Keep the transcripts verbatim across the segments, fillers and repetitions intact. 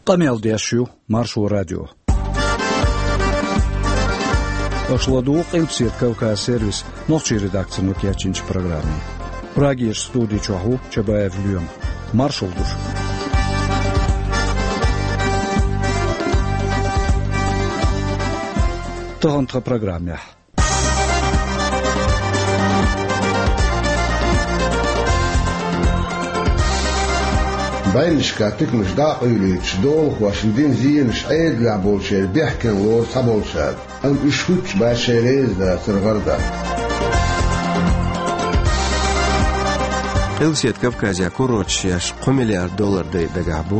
Къамел деш ю Маршо радио. Аша ладугӀу Къилбаседа Кавказ сервисан нохчийн редакцино кечйинчу программе. Прагерчу студи чохь ву Чабаев Лоьма. Маршалла ду шуьга. Тахана тхан программехь. Баьннашкахь тикамаш дӀа а къуьйлуьйтуш, долахошна дина зенаш Ӏедалехь болчеран бехкенна лору цхьаболчара, амма уьш хӀуьттуш бац шайн реза дацар гӀардан. Къилбаседа Кавказехь курорташ еш кхо миллиард доллар дайа дагахь бу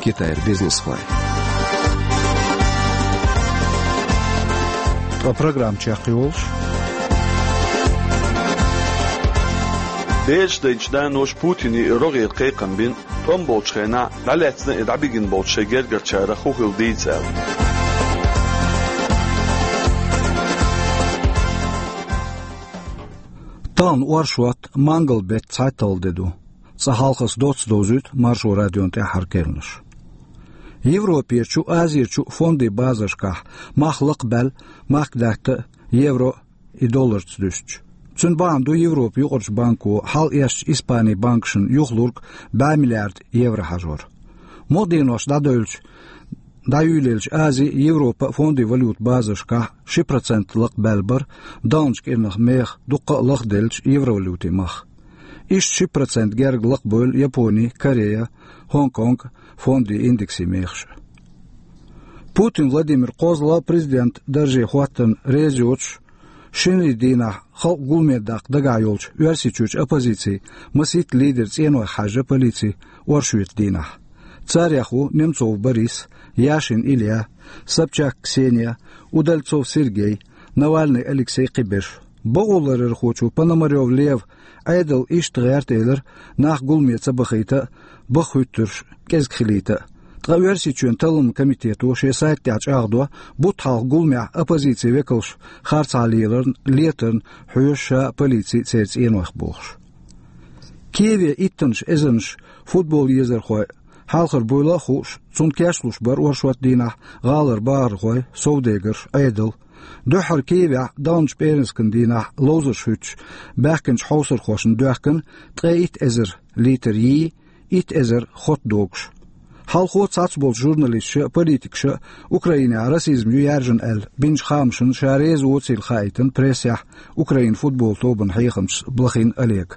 Китайра бизнесхой. Ткъа программа чекхйолуш. Бераш дайначу наноша Путине и рогӀера кхайкхам бина, тӀом болчу хенахь дӀалаьцна и дӀабигина болчу шайн гергарчарах хӀун хилла дийца аьлла. Тахана оршот, мангал беттан цхьайтталгӀа де ду. Цкъа хьалха аса доцца довзуьйту Маршо радион тӀаьххьара керланаш. Европерчу, Азерчу фондийн базаршкахь мах лакхабаьлла, махка даьтта евро и долларца дуьстича. Цуьнан бахьана ду Европан юкъарчу банко хьалаэцначу Испанин банкашна юхалург бӀе миллиард евро хьажор. Мукъа денош дӀадевлча, дӀайуьйлаелча Ази, Европа фондийн валютан базаршкахь ши процент лакхабаьлла бара, дахначу кӀирнах меха дуккха а лахделлачу евровалютин мах. Иштта ши процент герга лакхабевлла Япони, Корея, Гонконг фондийн индексийн мехаш. Путин Владимир кхозлагӀа президентан дарже хӀоттарна реза йоцуш, шинарин дийнахь халкъ гуламе даккха дагахь йолчу Оьрсийчуьрчу оппозицин масийтта лидеран цӀенойх хьаьжна полици оршотан дийнахь. Царех ву Немцов Борис, Яшин Илья, Собчак Ксения, Удальцов Сергей, Навальный Алексей, кхиберш. Бакъоларъярхочо Пономарёв Лев Ӏедал иштта гӀерта элира, нах гуламе ца бахийта а, баха хӀуьттурш кӀезиг хилийта а. Ткъа Оьрсийчоьнан Талламан комитето шен сайта тӀехь чӀагӀдо, бутт хьалха гуламехь оппозицин векалш харцахьа леларна, летарна хьоьжу ша а, полици а церан цӀенойх бохуш. Киеве иттаннаш эзарнаш футбол езархой хьалхара буйла а хууш, цунна кечлуш бара оршотан дийнахь гӀалара бахархой, совдегарш, Ӏедал. Дуьххьара Киевехь дахначу пӀераскан дийнахь ловзарш хӀуьттуш баьхкинчу хьовсархошна доьхкина ткъе итт эзар литр йий, итт эзар хотта догуш. Хьалхо цхьацца болчу журналисташа а, политикаша а Украинехь расизм ю яьржина аьлла бинчу хаамашна ша реза воцийла хаийтина прессехь Украинан футбол тобанан хьехамчас Блохин Олега.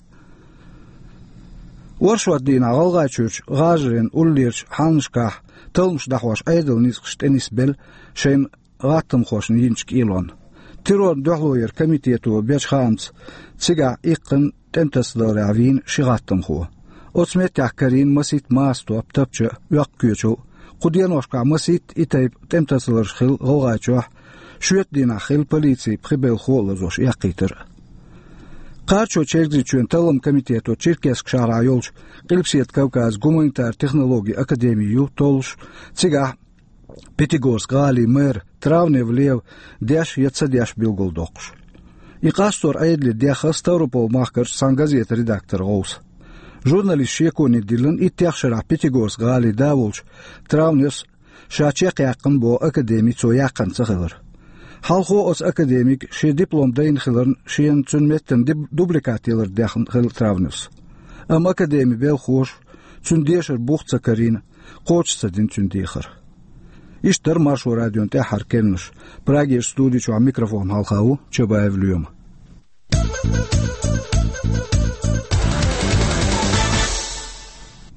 Оршотан дийнахь ГӀалгӀайчуьрчу гӀажарийн уллерчу хьалхашкахь талламаш дӀахьош Ӏедалан ницкъаш тӀенисбелла шайна гӀаттамхошна йинчу кӀелонна. Террорна дуьхьало яран комитето бечу хаамца, цигахь иккхина тӀематасадаларехь вийна ши гӀаттамхо. Оцу меттехь карийна масийтта маса топ тапча а, оьккху коьчал а. Кху деношкахь масийтта и тайпа тӀематасадаларш хилла ГӀалгӀайчохь, шоьтан дийнахь хилла полицин пхи белхахо а лазош эккхийтар а. Кхачо Чергазийчоьнан Талламан комитето Черкесск шахьарахь йолчу Къилбаседа Кавказан гуманитаран технологийн академи ю толлуш, цигахь Пятигорск гӀалин мэр Травнев Лев деш я ца деш билгалдоккхуш. И къастор Ӏедале дехна Ставрополь-махкарчу цхьана газетан редактора гӀовса. Журналистан шеконе диллина, иттех шарахь Пятигорск гӀалин да волчу Травневс ша чекхъяьккхина боху академи цо яьккхина ца хилар. Хьалхо оцу академига шен диплом дайна хиларна, шена цуьнан меттана диб-, дубликат ялар дехна хилла Травневс. Амма академин белхахоша цуьнан дешар бух ца карийна, кхочуш ца дина цуьнан дехар. Иштта дара Маршо радион тӀаьххьара керланаш. Прагерчу студи чохь микрофон хьалха ву Чабаев Лоьма.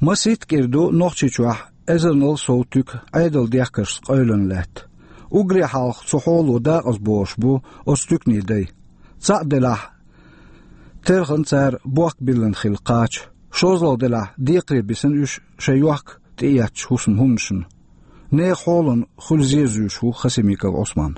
Масийтта кӀира ду Нохчийчохь эзарнал сов туька Ӏедалан дехкаршца къевлина лаьтта. Уггаре хьалха цу хьоло дакъазбохуш бу оцу туьканийн дай. Цхьаъ делахь, терхна цара бохк биллина хилла кхача. ШозлагӀа делахь, декхаре бисина уьш шайн йохка тӀеэцначу хӀусаман хӀуманашна. Нехан хьолан хуьлу зен зуьйш ву Хасимиков Ӏусман.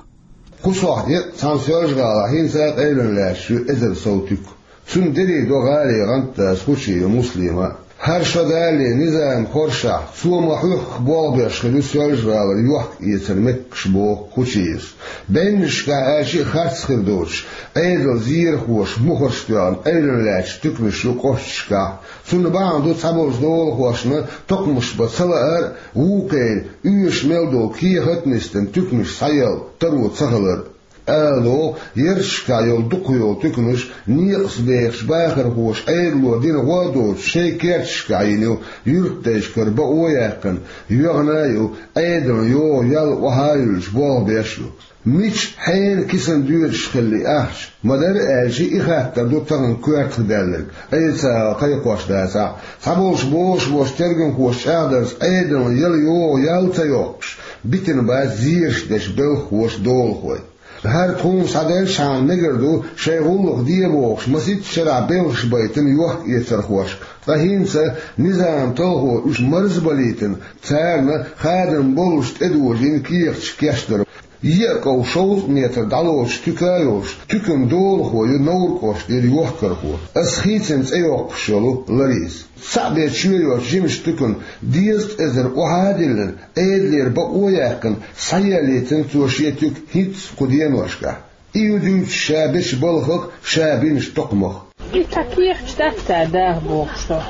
Кху сохьте а цхьана Соьлжа-ГӀалахь хӀинца а къевлина лаьтташ ю эзар сов туька. Цуьнан дерриг до гӀалин гӀантдас Хучиев Муслима а. ХӀара шо далале низам хоржашехь, цо ма хьоьхху болх беш хир ю Соьлжа-ГӀалара йохк-эцар меттигаш, боху Кучиевс. Беннашкахь аьлча а харц хир доцуш, Ӏедалан зерхоша мухӀарш тоьхна, Ӏуьйранна лаьтташ туьканаш ю кӀошташкахь. Цунна бахьана ду цхьаболчу долахошна токхамаш бан ца лаар а, вукхеран оьшуш мел долу кехат а нисдина туьканаш схьаелла таро ца хилар а. Ала догӀу, ярташкахь йолу дукхах йолу туьканаш некъаца бехачу бахархоша Ӏедало дина гӀо а доцуш, шайн керташкахь йина ю, юьртдайшкара бакъо а яьккхина, йоьгӀна а ю, Ӏедална йогӀу ял охьа а юьллуш болх беш а ю. Мича, хьенан кисана доьдуш хилла и ахча? Ма-дарра аьлча, и хаттар ду тахана коьртах даьлларг, Ӏеса кхайкхош дацахь а. Цхьаболчу бозуш болчу тергамхоша чӀагӀдарца, Ӏедална яла йогӀу ял ца йоккхуш, битина бац зераш дечу белхахоша долахой. ХӀара тхуна схьаделлачхьана мегар ду шайн гӀуллакх де бохуш, масийтта шарахь белхаш байтина йохк-эцархошка, ткъа хӀинца низаман талхо уьш марзбалийтина, царна хадам боллуш тӀедожийна кехаташ кечдар. Йиъ ков шовзткъа метр дӀалоцуш туька а йолуш, туьканан долахо ю Невран кӀоштара йохкархо, ас хийцина цӀе йоккхуш йолу Лариса. Цхьаъ бен чоь йоцу жимачу туькана дезткъа эзар охьа а диллина, Ӏедалера бакъо а яьккхина, схьаеллийтина цо шен туька хӀинцца кху деношкахь. И ю дуьйцуш ша бечу балхах а, ша бинчу токхамах а. И цхьа кехаташ дац цара даха бохуш со.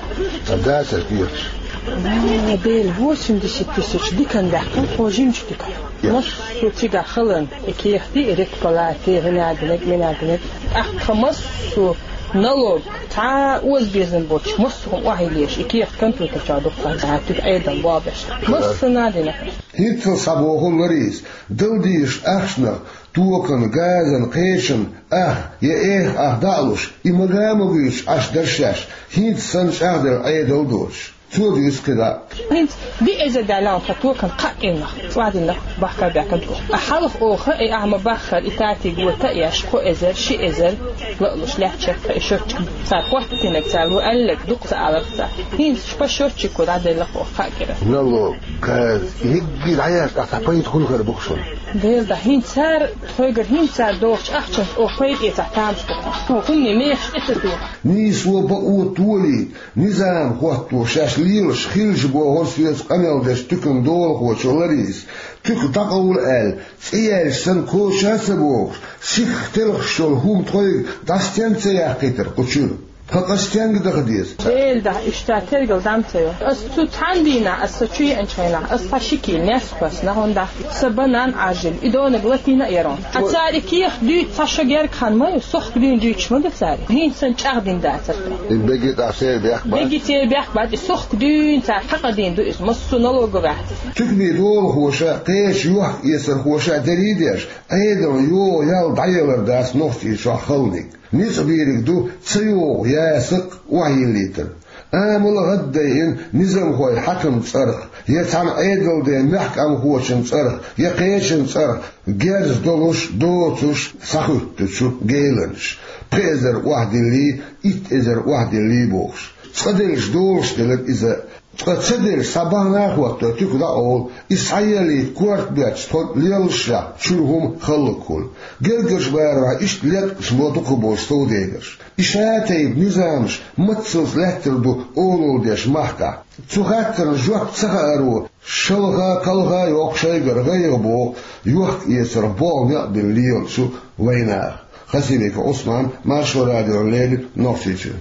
Ца дацара кехаташ? Ма, Дела, восемьдесят тысяч диканна даьккхина тхо жимачу туькана. Я. Массо а цигахь халан и кехатий, и рекпалатий, гӀинадинарг, минадинарг. ТӀаккха массо а налог, цхьа а озабезам боцуш, массо а хӀума охьайиллеш, и кехат компьютер чохь ду-кх, цхьа туька Ӏедална болх беш. Массо а надина. ХӀинццалц схьабоху Лариса, дала дезачу ахчанах токан, газан, кхечан ах я эха ах дӀа а луш, и мага а ма гуьйцуш Ӏаш дара шаьш, хӀинца санна чӀагӀделла Ӏедал а доцуш. Цо дуьйцу кхидӀа а. ХӀинца диъ эзар даьлла хьуна тхан токан кхаа кӀирнах, цӀа динарг бахка баьккхина тхо. Ткъа хьалха оха и ахьа ма-баххара и татиг вата а еш, кхо эзар, ши эзар ла а луш лаьтташ яра тхан и счётчик. Цара хӀоттийнарг, цара ву аьлларг дукха ца аларх цара. ХӀинца по счётчику дӀаделла оха кхаа кӀира. Налог, газ, еггара дӀаяьлча, ахьа пайда хуьлу хир бу-кх шуна. Дела да, хӀинца цара, тхоьгара хӀинца цара дохучу ахчанца оха пайда эцахь тамаш бу-кх. Хьо хӀунда мехаш тӀе ца тоха? Нийсо, бакъо толийта, низам хӀотто шаьш лелаш хилча бохура соьца къамел дечу туьканан долахочо Ларисас. Туька дӀакъовла аьлла, цӀе яьлча санна коча а ца бохуш, сихха телхаш йолу хӀума тхоьга дӀа стенга ца яккхийтира кху чуьра? Тхан къа стенга даха деза? Дела да, иштта тергал дам ца йо. Ас цу цхьана дийнахь, ас со чу еанчу хенахь, ас цхьа ши кийла несса кхоьссина, хӀунда аьлча сан банан Ӏаржийна, и донаг латийна а яра хьуна. Ткъа цара и кехат дуьйцу цхьа шо герга хан ма ю, сохка дуьйна дуьйцуш ма ду цара. ХӀинца санна чӀагӀдина дацара тхо. И бегий тӀе церан бехк бац? Бегий церан бехк бац, и сохка дуьйна цара хьакъадийна ду иза, массо а налоговый ахча. Туьканан долахоша, кхечу йохк-эцархоша дерриг а деш, Ӏедална йогӀу ял дӀаялар дац Нохчийчохь халаниг. Ницкъ бийриг ду ца йогӀу ясакх охьайиллийтар. Амал а гӀаддайина низамхой хьаькаман цӀарах, я цхьана Ӏедалан ден мехкамхочун цӀарах, я кхечун цӀарах герз долуш, доцуш схьахӀуьттучу геланаш, пхи эзар охьадиллий, итт эзар охьадиллий бохуш. Цкъа деллаш долуш делира иза. Ткъа ца деллаш, схьа бахьана а хӀотто, туька дӀакъовла, иза схьаеллийта корта боьттуш тхо леллашехь, чуьра хӀума хӀаллакьхула. Гергарчу барамехь иштта леткъаш ло дукхахболчу совдегарша. И шатайпа низамаш мацалц лаьттар ду олалла деш махкахь. Цу хаттарна жоп ца хааро, шалха-кхалха йоккху шайгара гӀайгӀа боху йохк-эцарх болх некъ бина лелачу вайнаха. Хасимиков Ӏусман, Маршо радиона леррина, Нохчийчуьра.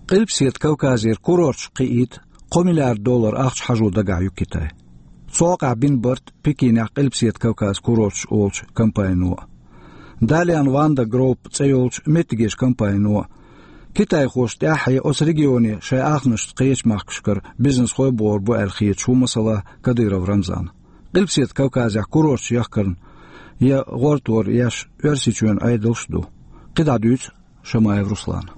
Къилбаседа Кавказера курорташ кхиийта кхо миллиард доллар ахча хьажо дагахь ю Китай. Цу хьокъехь бина барт Пекинехь Къилбаседа Кавказ курорташ олучу компанино а. Dalian Vanda Group цӀе йолчу меттигерчу компанино а. Китайхошна тӀаьххье оцу регионе шайн ахчанашца кхечу махкашкара бизнесхой богӀур бу аьлла хеташ ву, масала, Кадыров Рамзан. Къилбаседа Кавказехь курорташ яхкарна я гӀортор еш Оьрсийчоьнан Ӏедалш а ду. КхидӀа дуьйцу Шамаев Руслана.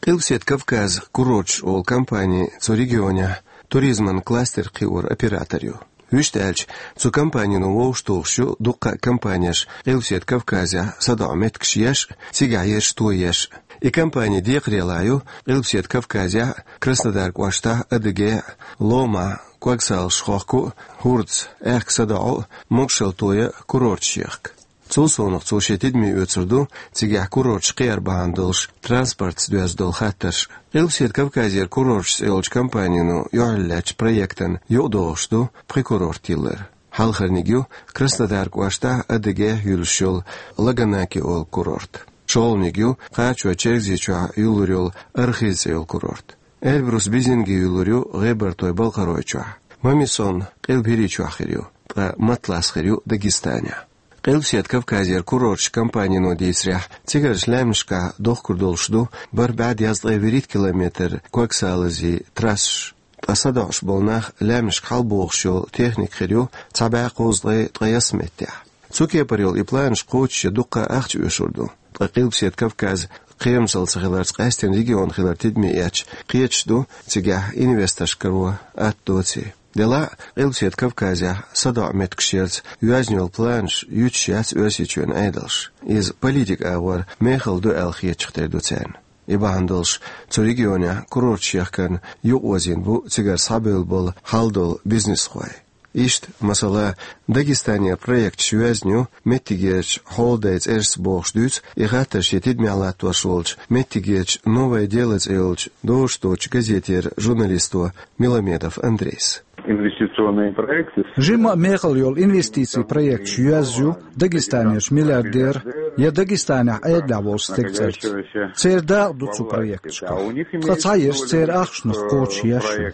Къилбаседа Кавказ курорташ олу компани цу регионехь туризман кластер кхиоран оператор ю. Вуьшта аьлча, цу компанино вовшахтухуш ю дуккха а компанеш Къилбаседа Кавказехь садоӀу меттигаш еш а, цигахь ерш тоеш а. И компани декхарийлахь ю Къилбаседа Кавказехь а, Краснодар кӀоштахь а, Адыгейхь а, Ломахь а, Когсалаш хохку а, ХӀурдас, аьхка садоӀу а, могушалла тоя а курорташ яхка. Цул совнагӀа цо шен тидаме оьцур ду цигахь курорташ кхиар бахьана долуш транспортца доьзна долу хаттарш. Къилбаседа Кавказера курорташ цӀе йолчу компанино юьхьарлаьцначу проектана юкъадогӀуш ду пхи курорт йиллар. Хьалхарниг ю Краснодар кӀоштахь Адыгейхь юьллуш йолу Лаганаки олу курорт. ШолгӀаниг ю кхачой Чергазийчохь юьллур йолу Архыз цӀе йолу курорт. Эльбрус-Бизинги юьллур ю ГӀебартой-Балкхаройчохь. Мамисон Къилба ХӀирийчохь хир ю, ткъа Матлас хир ю Дагестанехь. Къилбаседа Кавказера курорташ компанино дийцарехь, цигарчу лаьмнашкахь дохкур долуш ду бархӀ бӀе дезткъе вуьрхӀитта километр ког-салази трассаш. Ткъа садоӀуш болу нах лаьмнашка хьалабохуш йолу техника хир ю цхьа бӀе кхузткъе ткъайесна меттехь. Цу кепара йолу и планаш кхочушъян дуккха а ахча оьшур ду. Ткъа Къилбаседа Кавказ кхерамзалла ца хиларца къаьстина регион хилар тидаме эцча, кхеташ ду цигахь инвесторш каро атта доций. Делахь а, Къилбаседа Кавказехь садоӀу меттигаш ярца йоьзна йолу планаш юьтуш яц Оьрсийчоьнан Ӏедалш. Иза политикан агӀор мехала ду аьлла хетачух тера ду царна. И бахьана долуш, цу регионехь курорташ яхкарна юкъаозийна бу цигара схьабевлла болу хьал долу бизнесхой. Иштта, масала, Дагестанера проекташ йоьзна ю меттигерчу хьолдай цӀерашца бохуш дуьйцу и хаттар шен тидамехь латтош волчу меттигерчу «Новое дело» цӀе йолчу дозуш доцучу газетера журналисто Миламедов Андрейс. Инвестиционные проекты. Жимма а мехала йолу инвестицийн проекташ йоьзна ю Дагестанерчу миллиардеран я Дагестанехь Ӏедалехь волчу стеган цӀарца. Церан дакъа ду цу проекташкахь. Ткъа цхьаерш церан ахчанах кхочушъеш ю.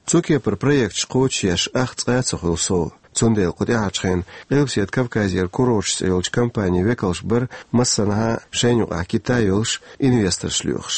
Цу кепара проекташ кхочушъеш ахча цкъа а ца хуьлу сов. Цундела кху тӀаьхьарчу хенахь Къилбаседа Кавказера курорташ цӀе йолчу компанин векалш бара массанхьа шайна юкъахь Китай йолуш инвесторш лоьхуш.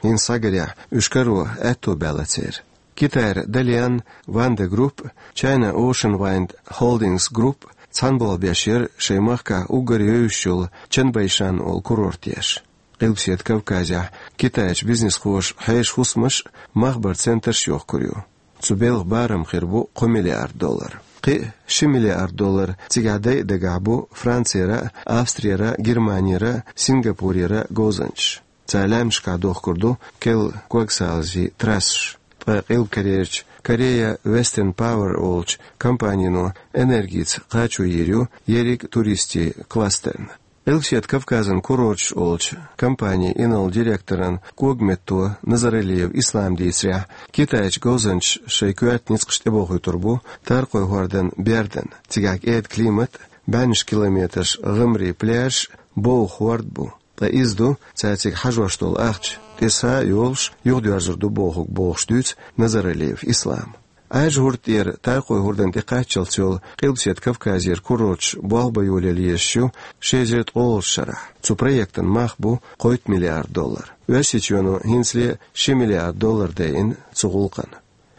ХӀинца схьагарехь, уьш каро аьтто баьлла церан. Китайра Dalian Wanda Group, China Ocean Wind Holdings Group цхьаьна болх беш яра шайн махкахь уггар евзаш йолу Чанбэйшан олу курорт еш. Къилбаседа Кавказехь китайчу бизнесхоша хьешан хӀусамаш а, махбаран центраш а йохкур ю. Цу белхан барам хир бу кхо миллиард доллар. Кхин а ши миллиард доллар цигахь дайа дагахь бу Францера а, Австрера а, Германера а, Сингапурера а говзанчаш. Цара лаьмнашкахь дохкур ду керла ког-салазийн трассаш. Ткъа Къилба Корейрчу Korea Western Power олучу компанино энергица кхачо йийр ю ерриг туристийн кластерна. Къилбаседа Кавказан курорташ олучу компанин инарла директоран когаметто Назаралиев Ислама дийцарехь, китайчу говзанчаша шайн коьрта ницкъаш тӀебохуьйтур бу Таркхойн хӀордан бердан. Цигахь кӀеда климат а, бӀеннаш километраш гӀамарийн пляжаш а, бовха хӀорд бу. Ткъа иза ду цара цига хьажош долу ахча, тӀе са а йолуш, юхадоьрзур ду бохург, бохуш дуьйцу Назаралиев Ислама. Ӏаьржа хӀорда тӀера Таркхойн хӀордан тӀе кхаччалц йолу Къилбаседа Кавказера курорташ болх бан йолаелла езаш ю ши эзар ткъолгӀачу шарахь. Цу проектан мах бу кхойтта миллиард доллар. Оьрсийчоьно хӀинцале ши миллиард доллар дайина цу гӀуллакхна.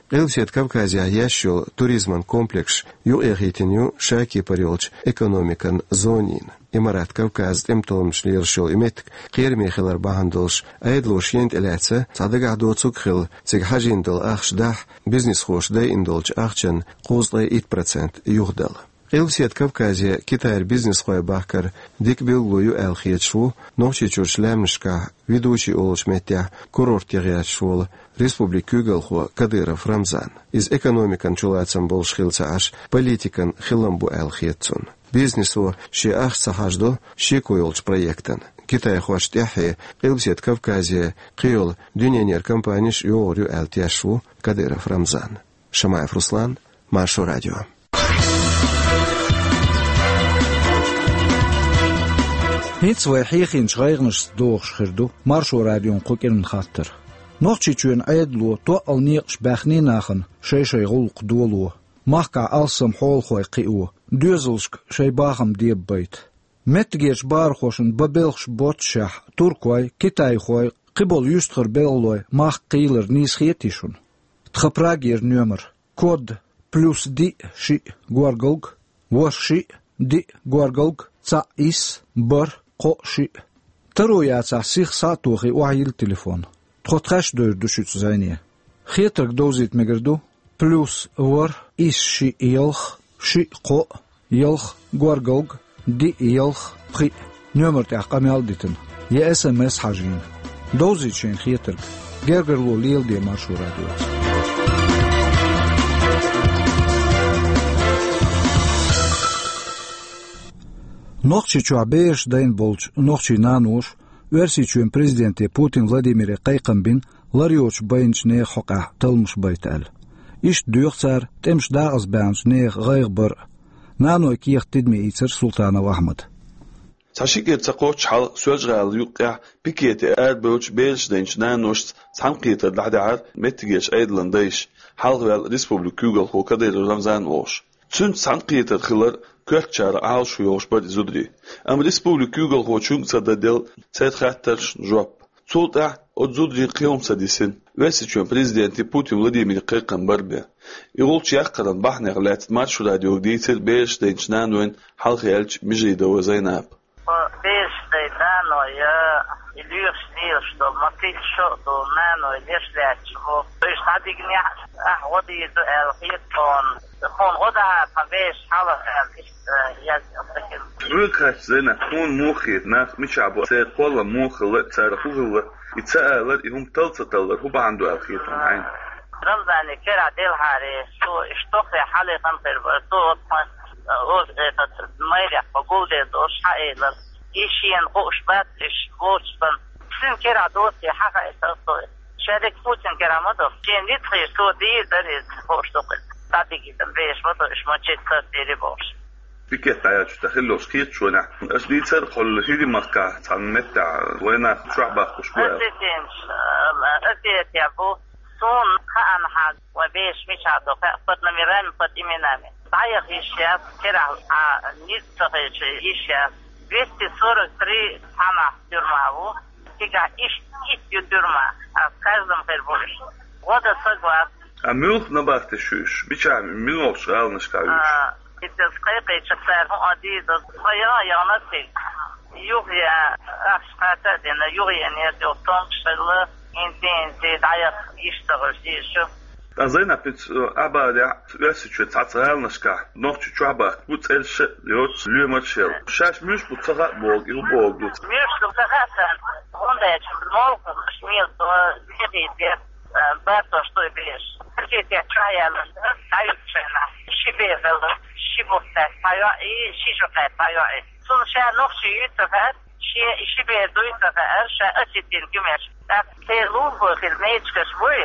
Къилбаседа Кавказехь еш йолу туризман комплекс юкъахӀиттина ю ша кепара йолчу экономикан зонина. Имарат Кавказ тӀематалламаш лелаш йолу и меттиг кхераме хилар бахьана долуш, Ӏедало шена тӀелаьцна цхьа дагахь доцург а хилла, цига хьажийна долу ахча дахь, бизнесхоша дайина долчу ахчан кхузткъе итт процент юхадала. Къилбаседа Кавказе Китайра бизнесхой бахкар дика билгало ю аьлла хеташ ву Нохчийчуьрчу лаьмнашкахь Ведучи олучу меттехь курорт яха гӀерташ волу республикан куьйгалхо Кадыров Рамзан. Иза экономикан чулацам болуш хилла ца Ӏаш, политикан хилам бу аьлла хета цунна. Бизнесо шен ахча ца хьажадо шеко йолчу проектана. Китайхошна тӀаьххье Къилбаседа Кавказе кхийолу дуьненера компанеш а йогӀур ю аьлла тешаш ву Кадыров Рамзан. Шамаев Руслан, Маршо радио. ХӀинца вай хьехийначу гӀайгӀанашца догӀуш хир ду Маршо радион кху кӀиран хаттар. Нохчийчоьнан Ӏедало тоъал некъаш баьхний нахана шай-шай гӀуллакх доло, махкахь алссам хьолахой кхио, доьзалшка шайн бахам дебабайта. Меттигерчу бахархошна бан белхаш боццушехь, туркой, китайхой, кхиболу юьстахара белхалой махка кхийлар нийса хетий шуна? Тхан Прагера номер. Код: плюс диъ шиъ горгалг, ворхӀ шиъ, диъ горгалг, цхьаъ исс, бархӀ кхоъ шиъ. Таро яцахь, сиха схьа а тохий, охьайилла телефон. Тхо тхаьш довр ду шуьца зӀене. Хетарг довзийта мегар ду: плюс ворхӀ исс шиъ ялх, шиъ кхоъ, ялх горгалг, диъ ялх пхиъ. Номер тӀехь къамел а дитина. Я эс эм эс хьажийна. Довзийта шайна хетарг. Гергарло леладе Маршо радиоца. Нохчийчохь бераш дайна болчу нохчийн наноша Оьрсийчоьнан президенте Путин Владимире кхайкхам бина лар йоцуш байначу нехан хьокъехь талламаш байта аьлла. Иштта доьху цара тӀемаш дакъазбаьхначу нехан гӀайгӀа бар а. Нанойн кехат тидаме ийцира Султанов Ахьмада. Цхьа ши кӀира ца кхоччу хьалха Соьлжа-ГӀалин юккъехь пикете арабевллачу бераш дайначу наношца цхьаьнакхетар дӀадаьхьира меттигерчу Ӏедалан дайша, хьалхаваьлла республикан куьйгалхо Кадыров Рамзан волуш. Цуьнца цхьаьнакхетар хилар коьртачарах Ӏалашо йолуш бара и зударий. Амма республикан куьйгалхочуьнга ца дан делла церан хаттаршна жоп. Цул тӀаьхьа оцу зударийн кхин хӀума ца дисина, Оьрсийчоьнан президенте Путин Владимире кхайкхам бара бен. И гӀулч яккхаран бахьанех лаьцна Маршо радиога дийцира бераш дайначу нанойн хьалха яьллачу Межидова Зайнапа. Бераш дайна наной, и лоьхуш лелаш долу, ма-, кхин шо а ду, наной леш лаьтташ бу. Уьш дӀадигнехь, ахь гӀо дийр ду аьлла хета тхуна. Тхуна гӀо дахьара тхан бераш хьалха аьлла, иштта, э, яздина. Хьоьга хаьттича, Зайнап, хьуна муха хета, нах мичахь бу, церан кхоллам муха хилла, цара хӀун хилла, и ца алар, и хӀума талла ца таллар хӀун бахьана ду аьлла хета хьуна хьайна? Рамзане кара делхьара, цо иштта тоххе хьале хан хир бара, цо оцу тхан, э, оцу, э, тхан майрехь тхан гулдер долуш хьаэлира. И шена хууш бац, уьш боцуш санна. Цуьнан кара доций хьахаийтира цо. Шадерг Путин кара ма ду. Шена ницкъ хир, цо дийр дара иза, хууш ду-кх иза. ДӀадигийтина бераш ма ду, уьш мачет сардийри бохуш. Пикет дӀаяьлча тӀе хилла йолуш кхеташонехь, аша дийцар а кхолла, хӀирийн махкахь цхьана меттехь вайнах чохь баккхуш бу аьлла. Осетинаш, э, Осетия бу. Суна хаанхьа, вайн бераш мичахь ду хаьа, под номерами, под именами. ДӀаяха йиш яц, керахь а ницкъ ца хилча йиш яц. Двести сорок три цхьаннахь тюрьма ву, цигахь иштта итт ю тюрьма, а каждом хир бу уьш. ГӀо дан саг вац. А муьлха набахтеш ю уьш? Мичахь, муьлхачу гӀаланашкахь ю уьш? А, иза кхайкхийча цара хӀун а дийр ду, тхо яа яхана цига. Юха яа, ахча кхача а дина, юха яа нерг йолу томкаш хилла, хӀинца, хӀинца дӀаяха йиш ца хуьлуш дийша ю. Ткъа Зайнап, хӀинца, э, Ӏабадехь, Оьрсийчоь цхьацца гӀаланашкахь нохчий чохь бахка бу цӀераш а йоцуш, лоьмарш а елла. Шаьш муьлш бу ца хаьа боху, и хӀун бохург ду? Муьлш ду ца хаьа царна, хӀунда аьлча молханаш мел до, мехийта, э, бартош ду и бераш. Пикете чохь яьлла, дӀаюьгу шайна, ши бер хилла, ши бухтаьрца схьайоӀ и, ши жукъаьрца схьайоӀ и. Цунна ша нохчи юй ца хаьа, шен и ши бер дуй ца хаьара, ша осетин куьмеш. ТӀаккха церан лулахой хила мечигаш буй,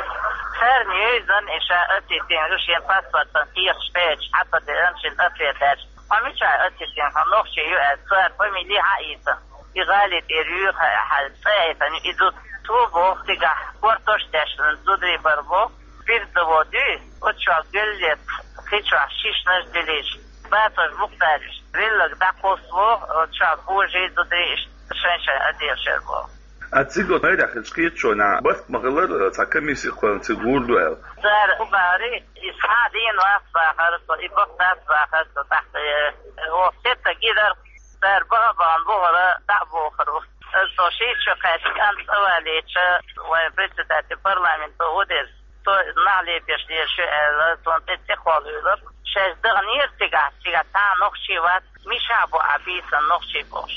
царна йойзан и ша осетин ю, шен паспортан кехаташ кхеча, хьан ца деана шина ответ аьлча. Хьо мичахь осетин, хьо нохчи ю аьлла, цара фамили хьаийцина. И гӀали тӀера юьйхина, хьан цӀе а хьаьтина, и зуда цо боху цигахь, кортош а дешна, зударий бара боху, бирзаво дуьйш, оцу чохь гуллица, кхин чохь шишнаш а дилийша. Бацош бухтариш, веллаг дӀакхуссу, оцу чохь божий зударий иштта шайн-шайн отделаш яр боху. А цига оцу майрехь хилча кхеташонехь, барт ма хилара, цхьа комисси кхоьллина цига гур ду аьлла? Цара хӀун бахара, и схьа а дийна вац бахара со, и бакъ дац бахара со, тӀаккха, э, оха сетта гидар, цара баха а бахана бухара, дӀа а бохура. Со шийтта шо кхаьчна кӀант цӀавалийча, вайн председатель парламента ву дерг. Цо нах лепеш дезаш ю аьлла, цунна тӀе цӀе кхоллавелира. Шаьш даханера цигахь, цигахь цхьа а нохчи вац, мичахь бу ахь бийцина нохчи бохуш.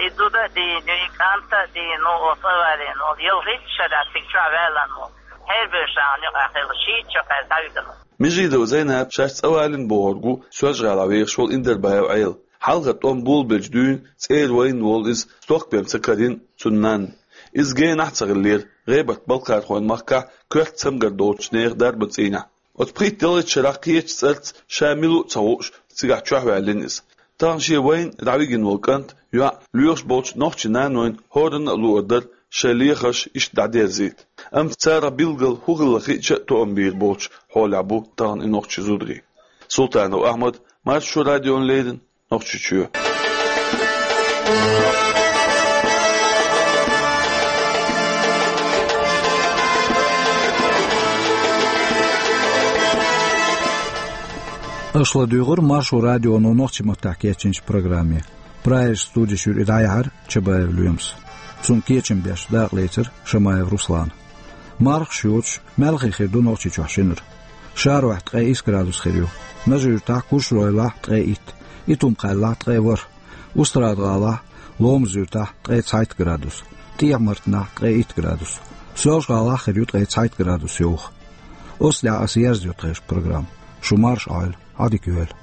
И зуда а дийна, и кӀант а дийна, ну, оцу а валийна, ну, ялхитта шарахь цига чохь ваьллан, ну, хьербевшахьан юкъахь хилла, шийтта шо кхаьчна дӀавигна. Межидова Зайнап шаьш цӀавалийна бохург ву Соьлжа-ГӀалахь вехаш волу Индербаев Ӏела. Хьалха тӀом болабелча дуьйна цӀера вайна волу иза, стохка бен ца карийна цуьнан нанна. Иза генахь а ца хиллера, ГӀебарта-Балкхархойн махкахь коьрта цамгар долчу нехан дарбан цӀийнехь. Оцу пхийтта-ялхитта шарахь кхечу цӀарца ша мила ву а ца хууш, цигахь чохь ваьллина иза. Тахана шен вайна дӀавигина волу кӀант, йоӀ лоьхуш болчу нохчийн нанойн хӀоранна а луур дара шайн лехарш иштта дӀадерзийта. Амма царах билггал хӀун хилла хиъча а тоам бийр боцучу хьолехь бу тахана и нохчийн зударий. Султанов Ахьмад, Маршо радиона леррина, Нохчийчоь. Аша ладуьйгӀира Маршо радионо нохчийн маттахь кечйинчу программе. Прагерчу студехь и дӀаяьхьира Чабаев Лоьмас. Цунна кечам беш дакъалецира Шамаев Руслана. Мархаш йоцуш, маьлхий хир ду Нохчийчохь шинара. Шарохь ткъе исс градус хир ю. Нажи-Юьртахь, Куьршроллахь ткъе итт, Итум-Кхаьллахь ткъе ворхӀ, Устрада-ГӀалахь, Ломаз-Юьртахь ткъе цхьайтта градус, ТӀехьа-Мартанахь ткъе итт градус, Соьлжа-ГӀалахь хир ю ткъе цхьайтта градус йовха. Оцу тӀехь аса ерзайо тхешан программа. Шу марша Ӏойла, Ӏадика йойла.